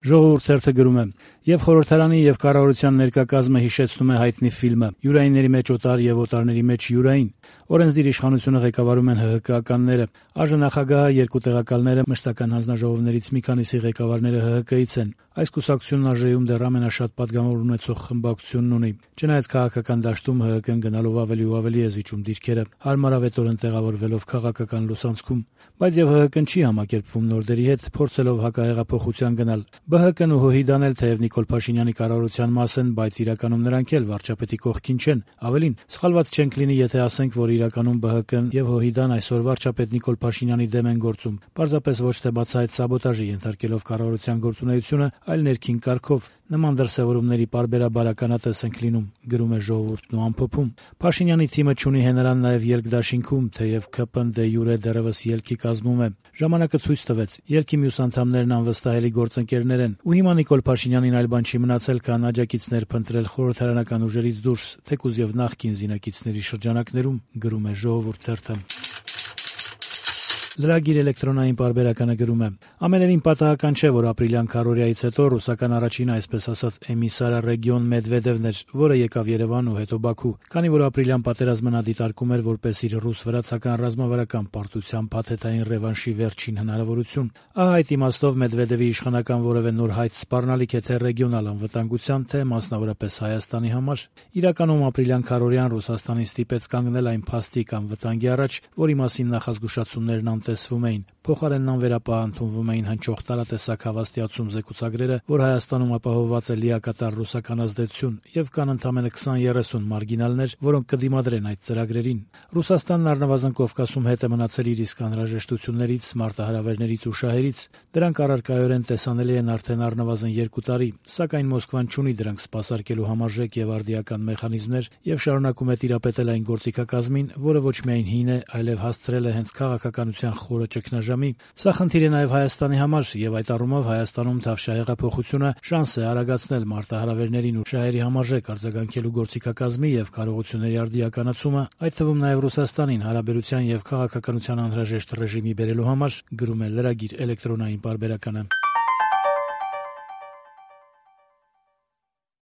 Ժողովուրդ թերթը գրում է. «Եվ խորհրդարանի եւ կառավարության ներկայ հիշեցնում է հայտնի ֆիլմը «Յուրայինների մեջ օտար եւ օտարների մեջ յուրային»։ Օրենսդիր իշխանությունը ղեկավարում են ՀՀԿ-ականները։ ԱԺ նախագահը, երկու տեղակալները, մշտական հանձնաժողովներից մի քանիսի ղեկավարները ՀՀԿ-ից են։ Այս կուսակցությունն ԱԺ-ում դեռ ամենաշատ պատգամավոր ունեցող խմբակցությունն ունի։ Չնայած քաղաքական դաշտում ՀՀԿ-ն գնալով ավելի ու ավելի է զիջում դիրքերը, հարմարավետորեն տեղավորվելով քաղաքական լուսանցքում։ Բայց եւ ՀՀԿ-ն չի համակերպվում նոր դերի հետ, փորձելով հակահեղափոխության գնալ։ ԲՀԿ-ն ու ՀՅԴ-ն էլ թեև Նիկոլ Փաշինյանի կառավարության մաս են, բայց իրականում նրանք էլ վարչապետի կողքին չեն։ Ավելին, սխալված չենք լինի, եթե ասենք, որ իրականում ԲՀԿ-ն եւ ՀՅԴ-ն այսօր վարչապետ Նիկոլ Փաշինյանի դեմ են գործում, պարզապես ոչ թե բացահայտ սաբոտաժի ենթարկելով կառավարության գործունեությունը, այլ ներքին կարգով։ Նման դրսևորումների պարբերաբար ականատես ենք լինում, գրում է Ժողովուրդն ու ամփոփում։ Փաշինյանի թիմը չունի հենարան նաեւ ելքդաշինքում, թեև ՔՊ-ն դե յուրե դեռևս ելքի կազմում է։ Ժամանակը ցույց տվեց, ելքի մյուս անդամներն անվստահելի գործընկերներ են, ու հիմա Նիկոլ Փաշինյանին այլ բան չի մնացել, քան աջակիցներ փնտրել խորհրդարանական ուժերից դուրս, թեկուզ եւ նախկին զինակիցների շրջանակներում, գրում է Ժողովուրդ թերթը։ Լրագիր էլեկտրոնային պարբերականը գրում է. «Ամենևին պատահական չէ, որ ապրիլյան քարոզիայից հետո ռուսական առաջին, այսպես ասած, էմիսարը Ռեգիոն Մեդվեդևն էր, որը եկավ Երևան ու հետո Բաքու, քանի որ ապրիլյան պատերազմը նա դիտարկում էր որպես իր ռուս-վրացական ռազմավարական պարտության փաթեթային ռևանշի վերջին հնարավորություն։ Ահա այդ իմաստով Մեդվեդևի իշխանական որևէ նոր հայց սպառնալիք է թե ռեգիոնալ անվտանգության, թե մասնավորապես Հայաստանի համար։ Իրականում ապրիլյան քարոզիան Ռուսաստանին ստիպեց կանգնել այն փաստիկ անվտանգի առաջ, որի մասին նախազգուշացումներն անտեսվում էին։ Փոխարենն անվերապահ ընդունվում էին հնչող տարատեսակ հավաստիացում զեկուցագրերը, որ Հայաստանում ապահովված է լիակատար ռուսական ազդեցություն, եւ կան ընդամենը 20-30 մարգինալներ, որոնք կդիմադրեն այդ ծրագրերին։ Ռուսաստանն առնվազն Կովկասում հետ է մնացել իր իսկ անհրաժեշտություններից, մարտահրավերներից ու շահերից։ Դրանք առարկայորեն տեսանելի են արդեն առնվազն 2 տարի, սակայն Մոսկվան չունի դրանք սպասարկելու համարժեք եւ արդիական մեխանիզմներ եւ շարունակում է տիրապետել այն գործիքակազմին, որը ոչ միայն հին է, այլև հասցրել է հենց քաղաքականության խորը ճգնաժամի։ Սա խնդիր է նաեւ Հայաստանի համար, եւ այդ առումով Հայաստանում թավշահեղափոխությունը շանս է արագացնել մարտահրավերներին ու շահերի համարժեք արձագանքելու գործիքակազմի եւ կարողությունների արդիականացումը, այդ թվում նաեւ Ռուսաստանին հարաբերության եւ քաղաքականության անհրաժեշտ ռեժիմի բերելու համար, գրում է Լրագիր էլեկտրոնային պարբերականը։